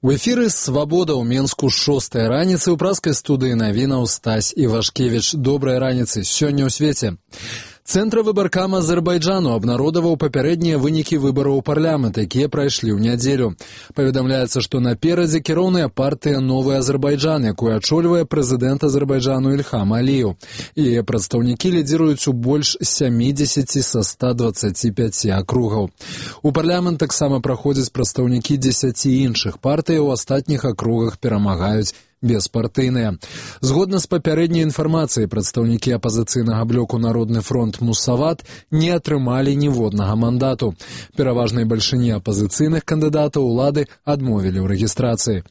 У эфіры «Свабода» ў Менску 6-я раніцы ў праскай студыі навінаў Стась Івашкевіч. Добрай раніцы. Сёння ў свеце. Цэнтр выбаркам Азербайджану абнародаваў папярэднія вынікі выбараў у парламент, якія прайшлі ў нядзелю. Паведамляецца, што наперадзе кіроўная партыя «Новы Азербайджан», якую ачольвае прэзідэнт Азербайджану Ільхам Аліеў. Яе прадстаўнікі лідзіруюць у больш 70 са 125 акругаў. У парламент таксама праходзяць прадстаўнікі 10 іншых партый, у астатніх акругах перамагаюць беспартыйныя. Згодна з папярэдняй інфармацыяй, прадстаўнікі апазіцыйнага блоку «Народны фронт» Мусават не атрымалі ніводнага мандату. Пераважнай бальшыні апазіцыйных кандыдатаў улады адмовілі ў рэгістрацыі.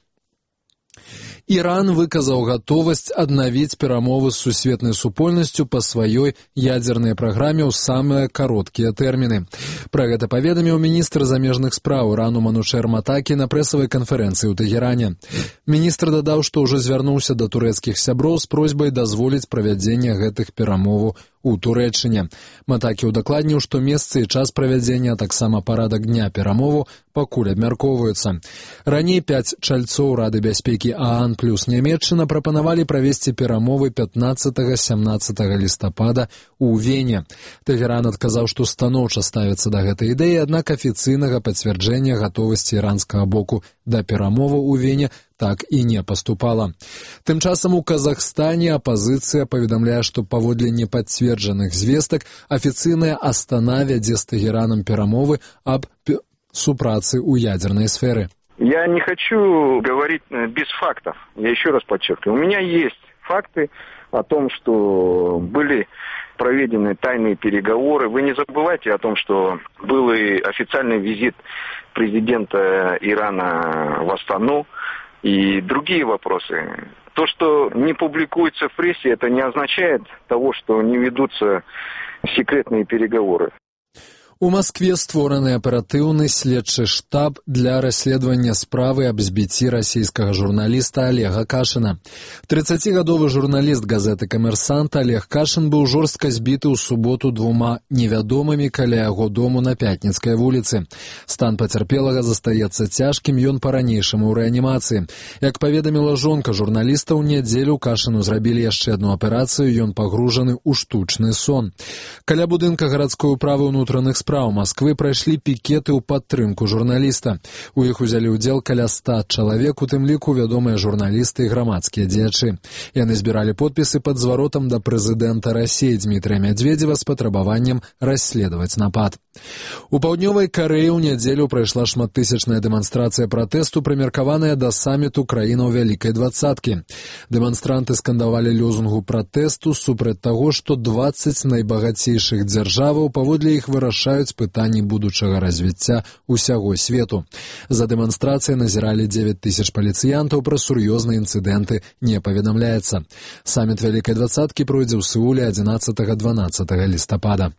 Іран выказаў гатовасць аднавіць перамовы з сусветнай супольнасцю па сваёй ядзернай праграме ў самыя кароткія тэрміны. Пра гэта паведаміў міністр замежных спраў Ірану Манушер Матакі на прэсавай канферэнцыі ў Тэгеране. Міністр дадаў, што ўжо звярнуўся да турэцкіх сяброў з просьбай дазволіць правядзенне гэтых перамоваў у Турэччыне. Матакі удакладніў, што месцы і час правядзення, а таксама парадак дня перамову пакуль абмяркоўваюцца. Раней 5 чальцоў Рады бяспекі ААН плюс Нямецчына прапанавалі правесці перамовы 15-17 лістапада ў Вене. Тэгеран адказаў, што станоўча ставіцца да гэтай ідэі, аднак афіцыйнага пацвярджэння гатовасці іранскага боку да перамоваў у Вене так і не паступала. Тым часам у Казахстане апазіцыя паведамляе, што паводле непацверджаных звестак афіцыйная Астана вядзе з Тэгеранам перамовы аб супрацы ў ядерной сферы. Я не хочу говорить без фактов. Я еще раз подчеркиваю. У меня есть факты о том, что были проведены тайные переговоры. Вы не забывайте о том, что был и официальный визит президента Ирана в Астану и другие вопросы. То, что не публикуется в прессе, это не означает того, что не ведутся секретные переговоры. У Маскве створаны аператыўны следчы штаб для расследавання справы аб збіцці расійскага журналіста Олега Кашина. 30-гадовы журналіст газеты «Камерсант» Олег Кашин быў жорстка збіты ў суботу двума невядомымі каля яго дому на Пятніцкай вуліцы. Стан пацярпелага застаецца цяжкім, ён па-ранейшаму ў рэанімацыі. Як паведаміла жонка журналіста, ў нядзелю Кашину зрабілі яшчэ адну аперацыю, ён пагружаны ў штучны сон. Каля будынка гарадской управы ўнутраных спраў Масквы прайшлі пікеты ў падтрымку журналіста. У іх узялі ўдзел каля 100 чалавек, у тым ліку вядомыя журналісты і грамадскія дзеячы. Яны збіралі подпісы пад зваротам да прэзідэнта Расіі Дмітрыя Мядзведзева з патрабаваннем расследаваць напад. У паўднёвай Карэі ў нядзелю прайшла шматтысячная дэманстрацыя пратэсту, прымеркаваная да саміту краінаў Вялікай двадцаткі. Дэманстранты скандавалі лозунгу пратэсту супраць таго, што 20 найбагацейшых дзяржаваў паводле іх вырашаюць пытанні будучага развіцця ўсяго свету. За дэманстрацыяй назіралі 9000 паліцыянтаў, пра сур'ёзныя інцыдэнты не паведамляецца. Саміт Вялікай двадцаткі пройдзе ў Сеуле 11-12 лістапада.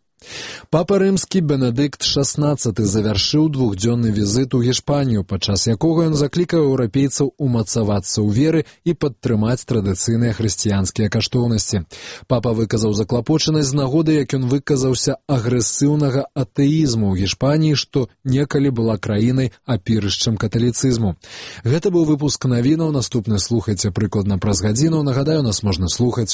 Папа рымскі Бенедыкт XVI завяршыў двухдзённы візіт у Гішпанію, падчас якога ён заклікаў еўрапейцаў умацавацца ў веры і падтрымаць традыцыйныя хрысціянскія каштоўнасці. Папа выказаў заклапочанасць з нагоды, як ён выказаўся агрэсіўнага атэізму ў Гішпаніі, што некалі была краінай апірышчам каталіцызму. Гэта быў выпуск навінаў, наступны слухайце прыкладна праз гадзіну. Нагадаю, нас можна слухаць